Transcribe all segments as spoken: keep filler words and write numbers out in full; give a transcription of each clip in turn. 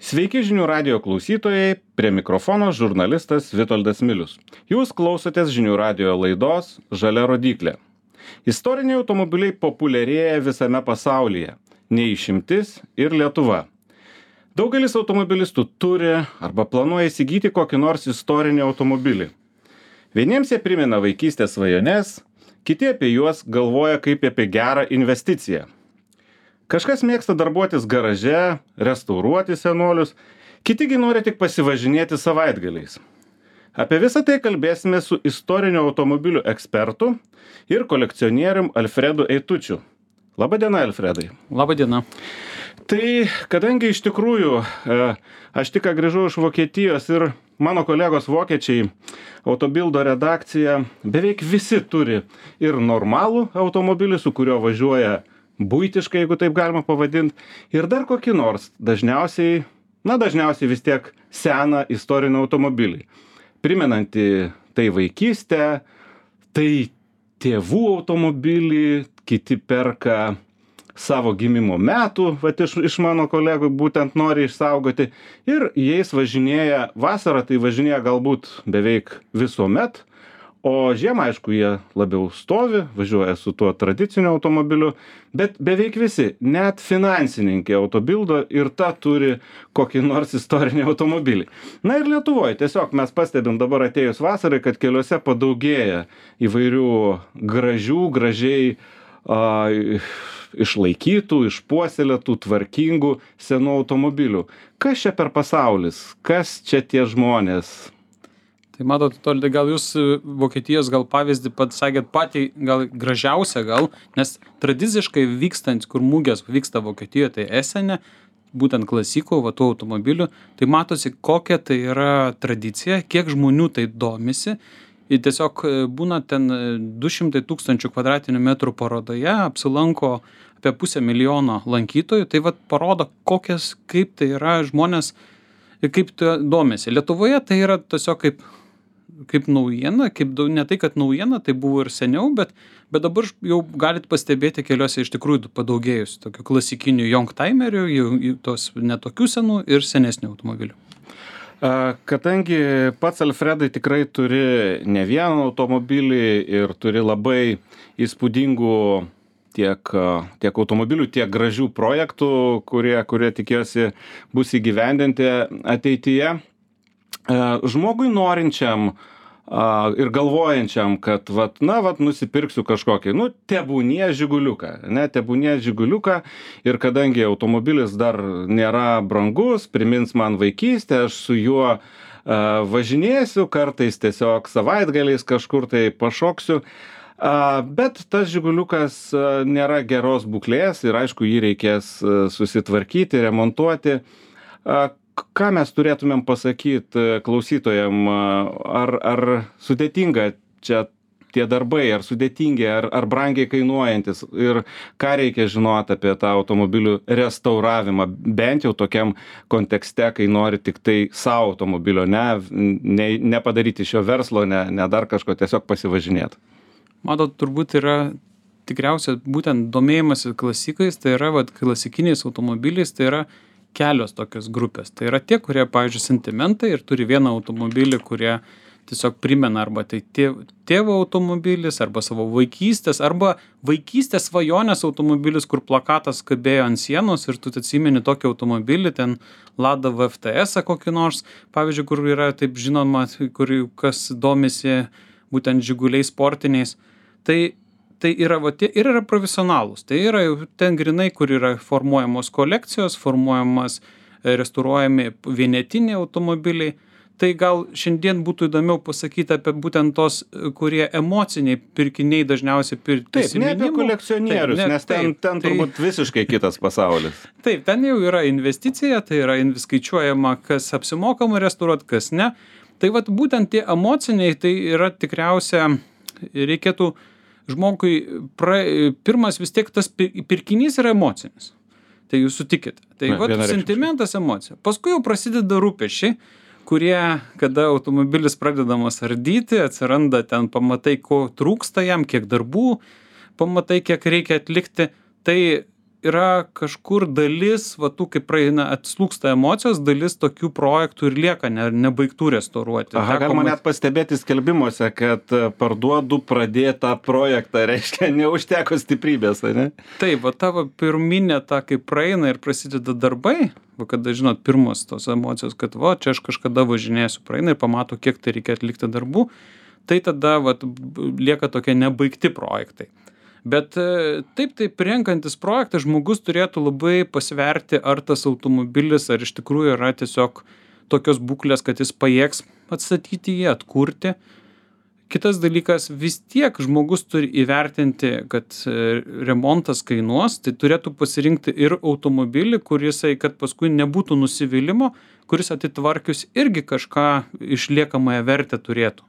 Sveiki žinių radijo klausytojai, prie mikrofono žurnalistas Vitoldas Milius. Jūs klausotės žinių radijo laidos Žalia rodyklė. Istoriniai automobiliai populiarėja visame pasaulyje, neišimtis ir Lietuva. Daugelis automobilistų turi arba planuoja įsigyti kokį nors istorinį automobilį. Vieniems jie primena vaikystės svajones, kiti apie juos galvoja kaip apie gerą investiciją. Kažkas mėgsta darbuotis garaže, restauruoti senolius, kitigi nori tik pasivažinėti savaitgaliais. Apie visą tai kalbėsime su istorinių automobilių ekspertu ir kolekcionierium Alfredu Eitučiu. Labadiena, Alfredai. Labadiena. Tai kadangi iš tikrųjų aš tik grįžau iš Vokietijos ir mano kolegos vokiečiai, Autobildo redakcija, beveik visi turi ir normalų automobilį, su kuriuo važiuoja buitiškai, jeigu taip galima pavadinti, ir dar kokį nors, dažniausiai, na dažniausiai vis tiek seną istorinį automobilį. Primenanti tai vaikystę, tai tėvų automobilį, kiti perka savo gimimo metų, vat iš, iš mano kolegų būtent nori išsaugoti, ir jais važinėja, vasarą tai važinėja galbūt beveik visuomet, o žiemą, aišku, jie labiau stovi, važiuoja su tuo tradiciniu automobiliu, bet beveik visi, net finansininkai Autobildo ir ta turi kokį nors istorinį automobilį. Na ir Lietuvoje tiesiog mes pastebim dabar atėjus vasarai, kad keliuose padaugėja įvairių gražių, gražiai a, išlaikytų, išpuoselėtų, tvarkingų senų automobilių. Kas čia per pasaulis? Kas čia tie žmonės? Tai matot, Toldai, gal jūs Vokietijos gal pavyzdį pats sakėt patį gal gražiausią gal, nes tradiciškai vykstant, kur mūgės vyksta Vokietijoje, tai Esene, būtent klasikų, va, tų automobilių, tai matosi, kokia tai yra tradicija, kiek žmonių tai domisi. Ir tiesiog būna ten du šimtai tūkstančių kvadratinių metrų parodoje, apsilanko apie pusę milijono lankytojų, tai va parodo, kokias, kaip tai yra žmonės ir kaip tai domisi. Lietuvoje tai yra tiesiog kaip kaip naujiena, kaip ne tai, kad naujiena, tai buvo ir seniau, bet, bet dabar jau galit pastebėti keliuose iš tikrųjų padaugėjus tokių klasikinių youngtimerių, tos netokių senų ir senesnių automobilių. Kadangi pats Alfredai tikrai turi ne vieną automobilį ir turi labai įspūdingų tiek, tiek automobilių, tiek gražių projektų, kurie, kurie tikiuosi bus įgyvendinti ateityje. Žmogui norinčiam a, ir galvojančiam, kad vat, na, vat, nusipirksiu kažkokį, nu, tebūnie žiguliuką, ne, tebūnie žiguliuką, ir kadangi automobilis dar nėra brangus, primins man vaikystę, aš su juo a, važinėsiu, kartais tiesiog savaitgaliais kažkur tai pašoksiu, a, bet tas žiguliukas a, nėra geros būklės ir aišku, jį reikės a, susitvarkyti, remontuoti. A, Ką mes turėtumėm pasakyti klausytojam, ar, ar sudėtinga čia tie darbai, ar sudėtingi, ar, ar brangiai kainuojantis, ir ką reikia žinoti apie tą automobilių restauravimą, bent jau tokiam kontekste, kai nori tik tai savo automobilio, ne, ne, nepadaryti šio verslo, ne, ne dar kažko, tiesiog pasivažinėti. Matot, turbūt yra tikriausiai būtent domėjimasis klasikais, tai yra vat, klasikiniais automobiliais, tai yra kelios tokios grupės. Tai yra tie, kurie, pavyzdžiui, sentimentai ir turi vieną automobilį, kurie tiesiog primena arba tai tėvo automobilis, arba savo vaikystės, arba vaikystės svajonės automobilis, kur plakatas kabėjo ant sienos ir tu atsimeni tokį automobilį, ten Lada V F T S kokį nors, pavyzdžiui, kur yra taip žinoma, kur kas domisi būtent žiguliais sportiniais. Tai Tai yra, va, tie, ir yra profesionalūs. Tai yra ten grinai, kur yra formuojamos kolekcijos, formuojamas, restauruojami vienetiniai automobiliai. Tai gal šiandien būtų įdomiau pasakyti apie būtent tos, kurie emociniai pirkiniai dažniausiai pirkti. Taip, ne apie kolekcionierius, taip, ne, nes ten, ten tai, turbūt visiškai kitas pasaulis. Taip, ten jau yra investicija, tai yra skaičiuojama, kas apsimokama restauruoti, kas ne. Tai vat būtent tie emociniai, tai yra tikriausia, reikėtų žmogui, pra, pirmas vis tiek tas pirkinys yra emocinis. Tai jūs sutikite. Tai va, sentimentas, emocija. Paskui jau prasideda rūpešiai, kurie, kada automobilis pradedamas ardyti, atsiranda ten, pamatai, ko trūksta jam, kiek darbų, pamatai, kiek reikia atlikti. Tai yra kažkur dalis, va tų, kaip praeina, atslūksta emocijos, dalis tokių projektų ir lieka ne, nebaigtų restauruoti. Aha, galima net pastebėti skelbimuose, kad parduodu pradėtą projektą, reiškia, neužteko stiprybės, ne? Taip, va tavo pirminė ta, kai praeina ir prasideda darbai, va kada, žinot, pirmos tos emocijos, kad va, čia aš kažkada važinėsiu, praeina ir pamato, kiek tai reikia atlikti darbų, tai tada va, lieka tokie nebaigti projektai. Bet taip, taip, renkantis projektą, žmogus turėtų labai pasverti, ar tas automobilis, ar iš tikrųjų yra tiesiog tokios būklės, kad jis pajėgs atstatyti jį, atkurti. Kitas dalykas, vis tiek žmogus turi įvertinti, kad remontas kainuos, tai turėtų pasirinkti ir automobilį, kurisai, kad paskui nebūtų nusivylimo, kuris atitvarkius irgi kažką išliekamąją vertę turėtų.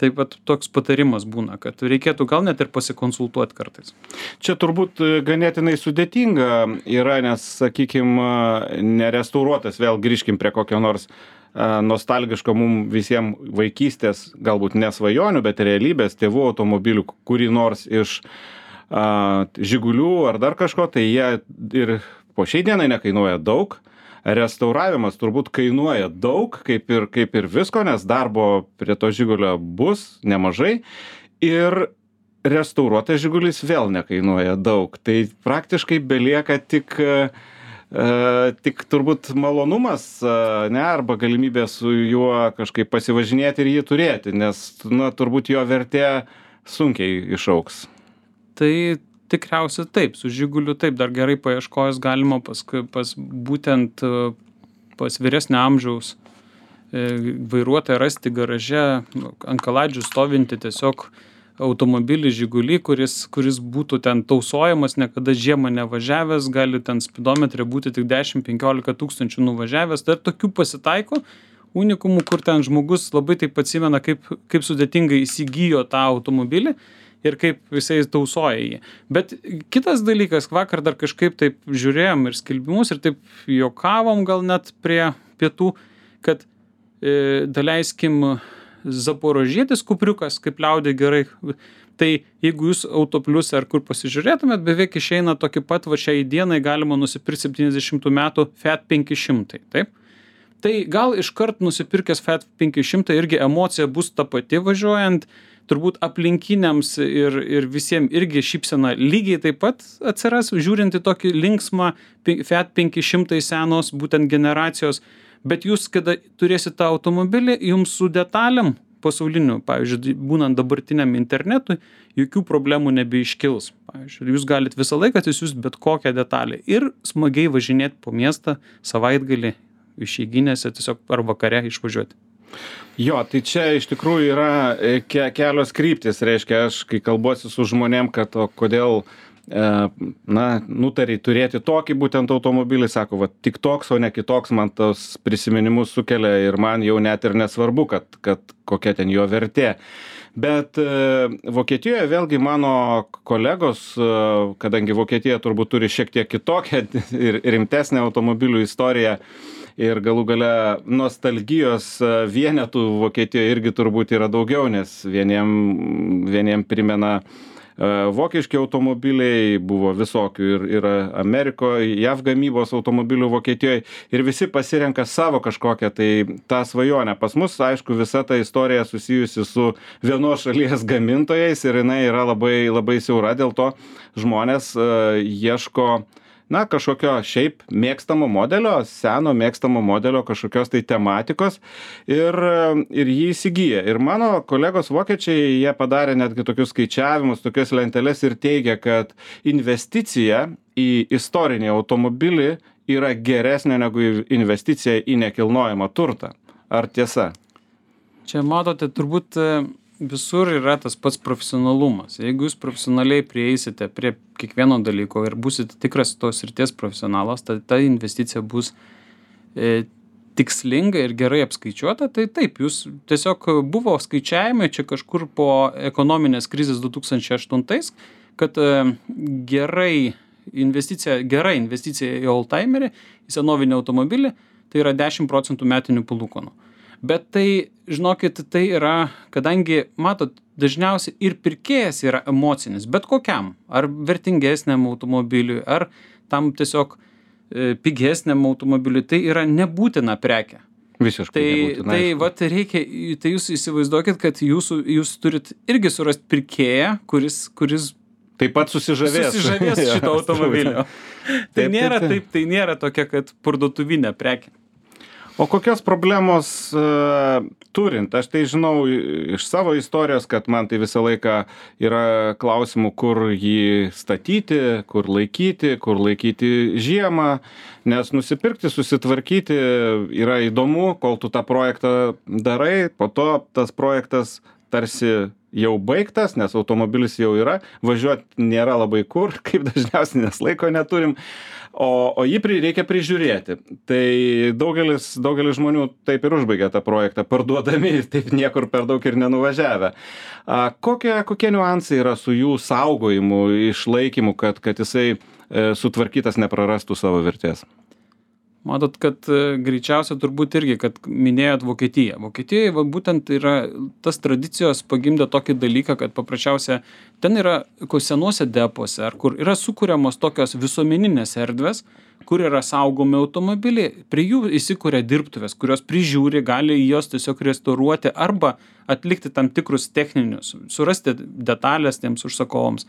Taip pat toks patarimas būna, kad reikėtų gal net ir pasikonsultuoti kartais. Čia turbūt ganėtinai sudėtinga yra, nes, sakykime, nerestauruotas, vėl grįžkim prie kokio nors nostalgiško mums visiems vaikystės, galbūt nesvajonių, bet realybės tėvų automobilių, kurį nors iš a, Žigulių ar dar kažko, tai jie ir po šiai dienai nekainuoja daug. Restauravimas turbūt kainuoja daug, kaip ir, kaip ir visko, nes darbo prie to Žigulio bus nemažai. Ir restauruotas Žigulis vėl nekainuoja daug. Tai praktiškai belieka tik, e, tik turbūt malonumas, ne, arba galimybė su juo kažkaip pasivažinėti ir jį turėti, nes na, turbūt jo vertė sunkiai išaugs. Tai tikriausiai taip, su Žiguliu taip, dar gerai paieškojus galima pas, pas būtent pas vyresnio amžiaus vairuotoją rasti garaže, ant kaladžių stovinti tiesiog automobilį Žigulį, kuris, kuris būtų ten tausojamas, niekada žiemą nevažiavęs, gali ten spidometrė būti tik dešimt penkiolika tūkstančių nuvažiavęs, tai tokių pasitaiko unikumų, kur ten žmogus labai taip atsimena, kaip, kaip sudėtingai įsigijo tą automobilį ir kaip jisai tausoja jį. Bet kitas dalykas, vakar dar kažkaip taip žiūrėjom ir skelbimus ir taip juokavom gal net prie pietų, kad e, daleiskim Zaporožietis kupriukas, kaip liaudė gerai. Tai jeigu jūs Autoplius ar kur pasižiūrėtumėt, beveik išeina tokį pat, va šiai dienai galima nusipirkti septyniasdešimtų metų Fiat penki šimtai, taip? Tai gal iškart nusipirkęs Fiat penki šimtai irgi emocija bus ta pati važiuojant, turbūt aplinkiniams ir, ir visiems irgi šypsena lygiai taip pat atsiras, žiūrint į tokį linksmą Fiat penki šimtai senos būtent generacijos, bet jūs, kada turėsite tą automobilį, jums su detalėm pasauliniu, pavyzdžiui, būnant dabartiniam internetui, jokių problemų nebeiškils. Pavyzdžiui, jūs galite visą laiką atsisiųsti bet kokią detalę ir smagiai važinėti po miestą savaitgalį išeiginėse tiesiog ar vakare išvažiuoti. Jo, tai čia iš tikrųjų yra ke kelios kryptis, reiškia, aš kai kalbuosi su žmonėm, kad o kodėl e, na, nutariai turėti tokį būtent automobilį, sako, va, tik toks, o ne kitoks, man tos prisiminimus sukelia ir man jau net ir nesvarbu, kad, kad kokia ten jo vertė. Bet e, Vokietijoje vėlgi mano kolegos, e, kadangi Vokietija turbūt turi šiek tiek kitokią ir rimtesnę automobilių istoriją, ir galų gale nostalgijos vienetų Vokietijoje irgi turbūt yra daugiau, nes vieniem, vieniem primena vokiški automobiliai, buvo visokių ir, ir Amerikoje, J A V gamybos automobilių Vokietijoje ir visi pasirenka savo kažkokią tai tą svajonę. Pas mus, aišku, visa ta istorija susijusi su vienos šalies gamintojais ir jinai yra labai, labai siaura, dėl to žmonės uh, ieško na, kažkokio šiaip mėgstamo modelio, seno mėgstamo modelio, kažkokios tai tematikos ir, ir jį įsigyja. Ir mano kolegos vokiečiai, jie padarė netgi tokius skaičiavimus, tokias lenteles ir teigia, kad investicija į istorinį automobilį yra geresnė negu investicija į nekilnojamą turtą. Ar tiesa? Čia matote, turbūt visur yra tas pats profesionalumas. Jeigu jūs profesionaliai prieisite prie kiekvieno dalyko ir būsite tikras tos srities profesionalas, tai ta investicija bus e, tikslinga ir gerai apskaičiuota, tai taip, jūs tiesiog buvo skaičiavimai čia kažkur po ekonominės krizės du tūkstančiai aštuntais, kad e, gerai investicija, gera investicija į oldtimerį, į senovinį automobilį, tai yra dešimt procentų metinių palūkanų. Bet tai, žinokit, tai yra, kadangi, matot, dažniausiai ir pirkėjas yra emocinis, bet kokiam, ar vertingesniam automobiliui, ar tam tiesiog e, pigesniam automobiliui, tai yra nebūtina prekė. Visiškai Tai, nebūtina. tai aišku. vat reikia, tai jūs įsivaizduokit, kad jūsų, jūs turit irgi surasti pirkėją, kuris, kuris Taip pat susižavės. susižavės šito automobilio. Tai Taip, nėra taip, taip. taip, tai nėra tokia, kad parduotuvinė prekė. O kokios problemos uh, turint? Aš tai žinau iš savo istorijos, kad man tai visą laiką yra klausimų, kur jį statyti, kur laikyti, kur laikyti žiemą, nes nusipirkti, susitvarkyti yra įdomu, kol tu tą projektą darai, po to tas projektas tarsi jau baigtas, nes automobilis jau yra, važiuoti nėra labai kur, kaip dažniausiai, nes laiko neturim. O, o jį pri, reikia prižiūrėti. Tai daugelis, daugelis žmonių taip ir užbaigia tą projektą, parduodami, taip niekur per daug ir nenuvažiavę. A, kokie, kokie niuansai yra su jų saugojimu, išlaikymu, kad, kad jisai e, sutvarkytas neprarastų savo vertės? Matot, kad e, greičiausia turbūt irgi, kad minėjot Vokietiją. Vokietijoje va, būtent yra tas tradicijos pagimdė tokį dalyką, kad paprasčiausia ten yra senuose depuose, ar kur yra sukūriamos tokios visuomeninės erdvės, kur yra saugomi automobiliai, prie jų įsikuria dirbtuvės, kurios prižiūri, gali jos tiesiog restauruoti arba atlikti tam tikrus techninius, surasti detalės tiems užsakovams.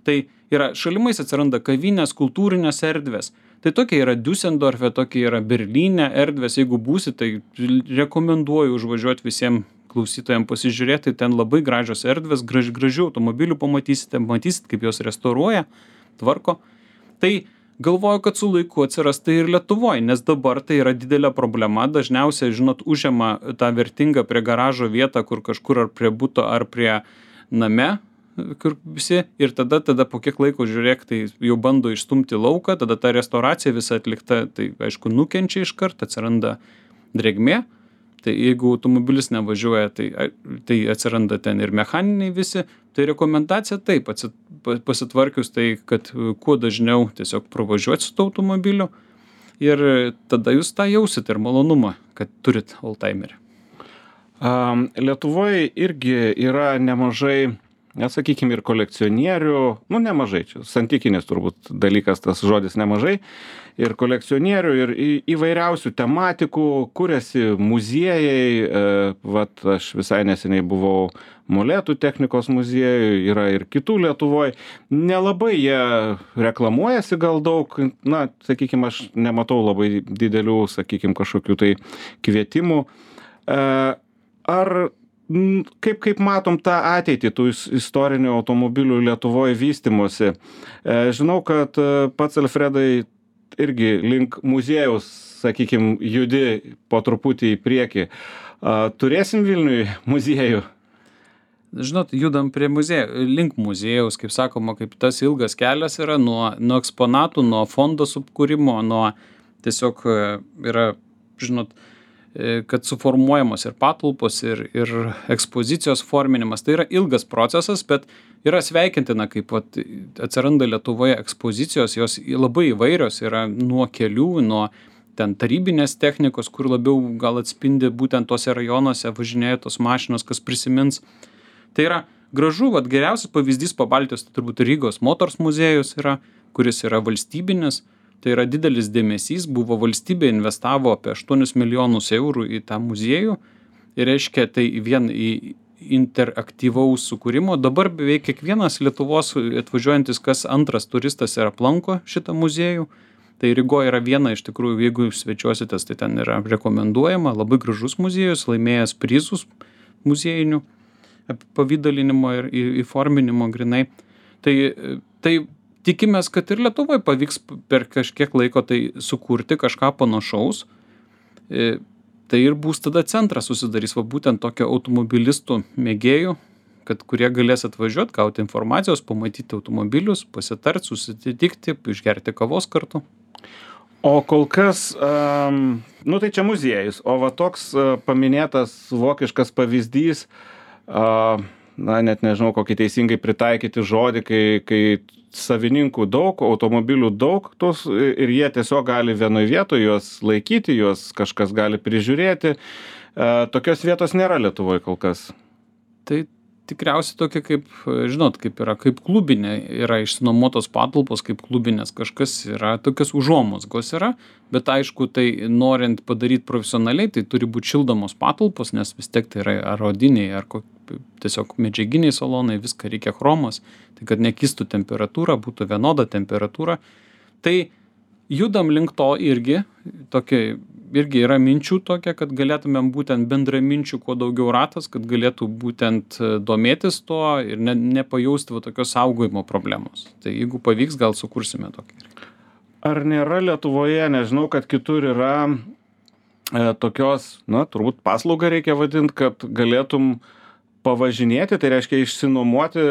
Tai yra šalimais atsiranda kavinės, kultūrinės erdvės. Tai tokia yra Düsseldorfe, tokia yra Berlyne erdvės. Jeigu būsi, tai rekomenduoju užvažiuoti visiems klausytojams pasižiūrėti. Ten labai gražios erdvės, graž, gražių automobilių pamatysite, matysit, kaip jos restauruoja, tvarko. Tai galvoju, kad su laiku atsiras tai ir Lietuvoje, nes dabar tai yra didelė problema. Dažniausiai, žinot, užima tą vertingą prie garažo vietą, kur kažkur ar prie buto, ar prie name, kur visi, ir tada, tada po kiek laiko žiūrėk, tai jau bando išstumti lauką, tada ta restauracija visa atlikta, tai aišku, nukenčia iš karto, atsiranda drėgmė, tai jeigu automobilis nevažiuoja, tai, tai atsiranda ten ir mechaniniai visi, tai rekomendacija taip, atsit, pasitvarkius tai, kad kuo dažniau tiesiog pravažiuoti su tuo automobiliu ir tada jūs tą jausit ir malonumą, kad turit oldtimerį. Um, Lietuvoje irgi yra nemažai, nesakykime, ir kolekcionierių, nu nemažai, čia santykinis turbūt dalykas, tas žodis nemažai, ir kolekcionierių, ir į, įvairiausių tematikų, kuriasi muziejai, e, vat aš visai neseniai buvau Molėtų technikos muziejui, yra ir kitų Lietuvoje, nelabai jie reklamuojasi gal daug, na, sakykime, aš nematau labai didelių, sakykime, kažkokių tai kvietimų. E, ar Kaip, kaip matom tą ateitį tų istorinių automobilių Lietuvoje vystymosi? Žinau, kad pats Alfredai irgi link muziejaus, sakykime, judi po truputį į priekį. Turėsim Vilniui muziejų? Žinot, judam prie muziejų, link muziejaus, kaip sakoma, kaip tas ilgas kelias yra nuo, nuo eksponatų, nuo fondo subkūrimo, nuo tiesiog yra, žinot, kad suformuojamos ir patalpos, ir, ir ekspozicijos forminimas. Tai yra ilgas procesas, bet yra sveikintina, kaip vat, atsiranda Lietuvoje ekspozicijos, jos labai įvairios yra nuo kelių, nuo ten tarybinės technikos, kur labiau gal atspindi būtent tose rajonuose važinėja tos mašinos, kas prisimins. Tai yra gražu, vat, geriausias pavyzdys po Baltijos, tai turbūt Rygos Motors muziejus yra, kuris yra valstybinis. Tai yra didelis dėmesys, buvo valstybė investavo apie aštuonis milijonus eurų į tą muziejų ir reiškia tai vien į interaktyvaus sukūrimo. Dabar beveik kiekvienas Lietuvos atvažiuojantis, kas antras turistas ir aplanko šitą muziejų. Tai Rygoje yra viena iš tikrųjų, jeigu svečiuositės, tai ten yra rekomenduojama, labai gražus muziejus, laimėjęs prizus muziejinių pavydalinimo ir įforminimo grinai. Tai, tai tikimės, kad ir Lietuvoje pavyks per kažkiek laiko tai sukurti kažką panašaus. E, tai ir bus tada centras susidarys, va būtent tokio automobilistų mėgėjų, kad kurie galės atvažiuoti, gauti informacijos, pamatyti automobilius, pasitarti, susitikti, išgerti kavos kartu. O kol kas, um, nu tai čia muziejus, o va toks uh, paminėtas vokiškas pavyzdys, uh, na net nežinau, kokį teisingai pritaikyti žodį, kai, kai savininkų daug, automobilių daug, tos, ir jie tiesiog gali vienoje vietoje juos laikyti, juos kažkas gali prižiūrėti. tokios vietos nėra Lietuvoje kol kas. Tai tikriausiai tokia kaip, žinot, kaip yra, kaip klubinė, yra išsinuomotos patalpos, kaip klubinės, kažkas yra, tokios užuomazgos yra, bet aišku, tai norint padaryti profesionaliai, tai turi būti šildomos patalpos, nes vis tiek tai yra ar odiniai, ar kok, tiesiog medžiaginiai salonai, viską reikia chromas, tai kad nekistų temperatūra, būtų vienoda temperatūra. Tai judam link to irgi, tokia, irgi yra minčių tokia, kad galėtumėm būtent bendraminčių kuo daugiau ratas, kad galėtų būtent domėtis to ir ne, nepajausti va, tokios saugojimo problemos. Tai jeigu pavyks, gal sukursime tokį. Ar nėra Lietuvoje, nežinau, kad kitur yra e, tokios, na, turbūt paslaugą reikia vadinti, kad galėtum pavažinėti, tai reiškia išsinuomoti,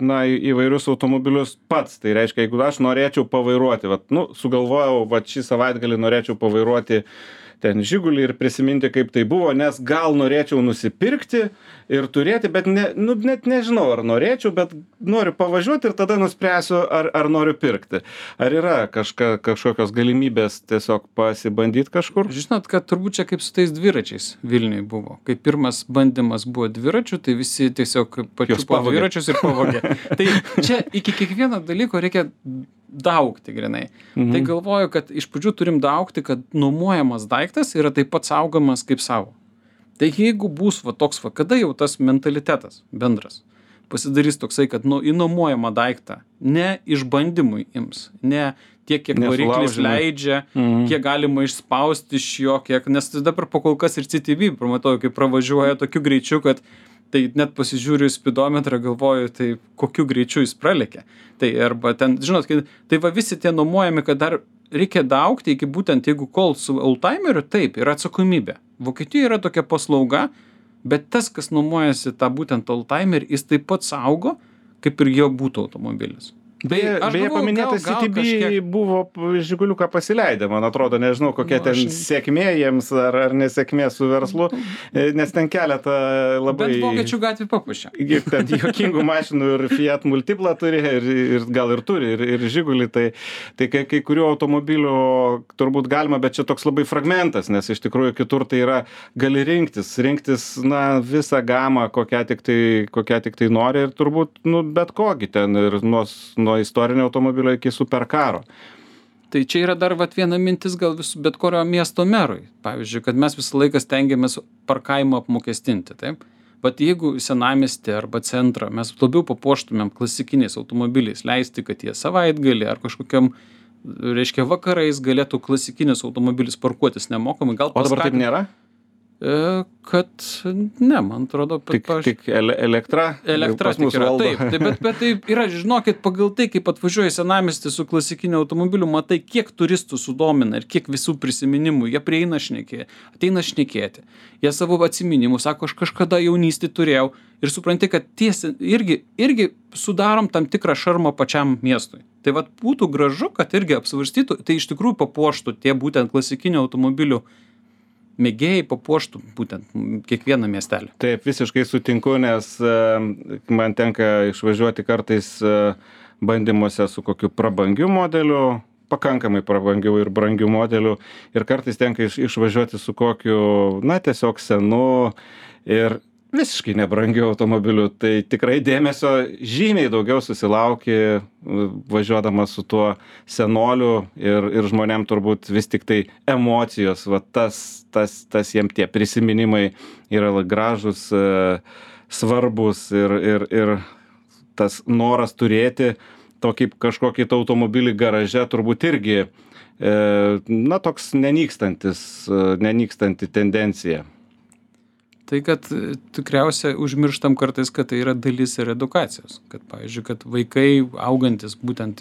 na, įvairius automobilius pats. Tai reiškia, jeigu aš norėčiau pavairuoti, vat, nu, sugalvojau, vat šį savaitgalį norėčiau pavairuoti ten Žigulį ir prisiminti, kaip tai buvo, nes gal norėčiau nusipirkti ir turėti, bet ne, nu, net nežinau, ar norėčiau, bet noriu pavažiuoti ir tada nuspręsiu, ar, ar noriu pirkti. Ar yra kažka, kažkokios galimybės tiesiog pasibandyti kažkur? Žinot, kad turbūt čia kaip su tais dviračiais Vilniui buvo. Kai pirmas bandymas buvo dviračių, tai visi tiesiog pačiupo dviračius ir pavogė. Tai čia iki kiekvieno dalyko reikia daugti grinai. Mhm. Tai galvoju, kad iš pradžių turim daugti, kad nuomojamas daiktas yra taip pat saugomas kaip savo. Tai jeigu bus va toks, va, kada jau tas mentalitetas bendras pasidarys toksai, kad nu, įnuomojamą daiktą ne išbandymui ims, ne tiek, kiek variklis leidžia, mhm. kiek galima išspausti iš jo, kiek, nes dabar po kol kas ir C T V, pamatau, kaip pravažiuoja tokiu greičiu, kad tai net pasižiūriu į spidometrą, galvoju, tai kokiu greičiu jis pralėkė. Tai arba ten, žinot, tai va visi tie nuomojami, kad dar reikia daugti iki būtent, jeigu kol su oldtimeriu, taip, yra atsakomybė. Vokietijoje yra tokia paslauga, bet tas, kas nuomojasi tą būtent oldtimerį, jis taip pat saugo, kaip ir jo būtų automobilis. Beje, beje paminėtas C T B kažkiek... buvo Žiguliuką pasileidę, man atrodo, nežinau, kokia nu, ten aš... sėkmė jiems ar, ar nesėkmė su verslu, nes ten keletą labai... Bet Vokiečių gatvį papušė. Ten juokingų mašinų ir Fiat Multipla turi, ir, ir gal ir turi, ir, ir Žigulį, tai, tai kai, kai kurių automobilių turbūt galima, bet čia toks labai fragmentas, nes iš tikrųjų kitur tai yra, gali rinktis, rinktis, na, visą gamą, kokią tik tai, kokią tik tai nori ir turbūt, nu, bet kokį ten ir nuo nuo istorinio automobilio iki superkaro. Tai čia yra dar vat viena mintis gal vis, bet kurio miesto merui. Pavyzdžiui, kad mes visą laiką stengiamės parkavimą apmokestinti, taip? Bet jeigu senamiestį arba centrą mes labiau papuoštumėm klasikiniais automobiliais, leisti, kad jie savaitgalį ar kažkokiam, reiškia, vakarais galėtų klasikinis automobilis parkuotis nemokamai. Gal o dabar taip nėra? Kad ne, man atrodo, tik, paž... tik ele elektra, elektra tik yra, taip, taip, bet, bet tai yra, žinokit, pagal tai, kaip atvažiuoja senamiestį su klasikiniu automobiliu, matai, kiek turistų sudomina ir kiek visų prisiminimų, jie prieina šnekėti, ateina šnekėti, jie savo atsiminimų, sako, aš kažkada jaunystį turėjau ir supranti, kad tiesi irgi, irgi sudarom tam tikrą šarmą pačiam miestui. Tai vat būtų gražu, kad irgi apsvarstytų, tai iš tikrųjų papuoštų tie būtent klasikinių automobilių mėgėjai papuoštų būtent kiekvieną miestelį. Taip, visiškai sutinku, nes man tenka išvažiuoti kartais bandymuose su kokiu prabangiu modeliu, pakankamai prabangiu ir brangiu modeliu, ir kartais tenka iš, išvažiuoti su kokiu, na, tiesiog senu ir visiškai nebrangiu automobiliu. Tai tikrai dėmesio žymiai daugiau susilauki važiuodamas su tuo senoliu ir, ir žmonėm turbūt vis tik tai emocijos, va tas, tas, tas jiem tie prisiminimai yra gražus, svarbus ir, ir, ir tas noras turėti tokį kažkokį automobilį garaže turbūt irgi, na, toks nenykstantis, nenykstanti tendencija. Tai, kad tikriausiai užmirštam kartais, kad tai yra dalis ir edukacijos. Kad, pavyzdžiui, kad vaikai augantis, būtent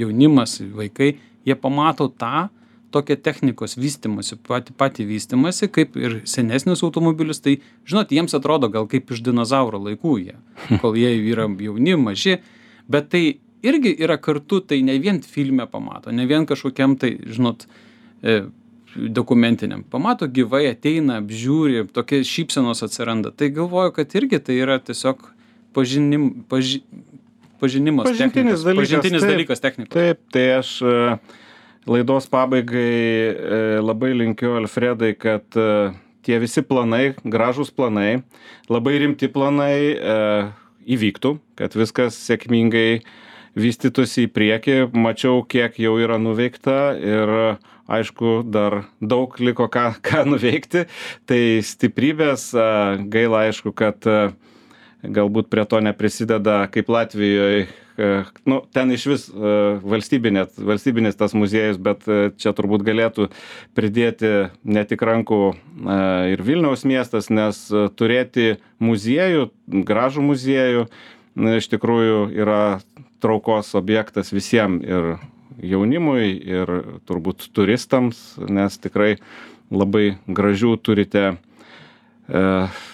jaunimas, vaikai, jie pamato tą tokią technikos vystimosi, patį, patį vystimosi, kaip ir senesnius automobilius. Tai, žinot, jiems atrodo gal kaip iš dinozauro laikų jie, kol jie yra jauni, maži. Bet tai irgi yra kartu, tai ne vien filme pamato, ne vien kažkokiam tai, žinot, e, dokumentiniam. Pamato gyvai, ateina, apžiūri, tokie šypsenos atsiranda. Tai galvoju, kad irgi tai yra tiesiog pažinim, paži, pažinimas pažintinis technikos. Dalykas, pažintinis taip, dalykas technikos. Taip, tai aš laidos pabaigai labai linkiu, Alfredai, kad tie visi planai, gražūs planai, labai rimti planai e, įvyktų, kad viskas sėkmingai vystytųsi į priekį. Mačiau, kiek jau yra nuveikta ir aišku, dar daug liko ką, ką nuveikti. Tai stiprybės, gaila aišku, kad galbūt prie to neprisideda kaip Latvijoje, nu, ten iš vis valstybinė, valstybinis tas muziejus, bet čia turbūt galėtų pridėti ne tik rankų ir Vilniaus miestas, nes turėti muziejų, gražų muziejų, iš tikrųjų yra traukos objektas visiems ir jaunimui, ir turbūt turistams, nes tikrai labai gražių turite e,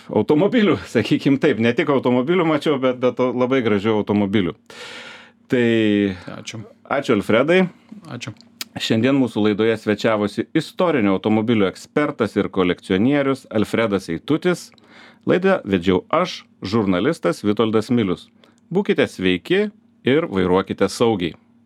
automobilių, sakykim taip, ne tik automobilių mačiau, bet, bet labai gražių automobilių. Tai Ačiū. Ačiū Alfredai. Ačiū. Šiandien mūsų laidoje svečiavosi istorinio automobilių ekspertas ir kolekcionierius Alfredas Eitutis. Laidą vedžiau aš, žurnalistas Vitoldas Milius. Būkite sveiki ir vairuokite saugiai.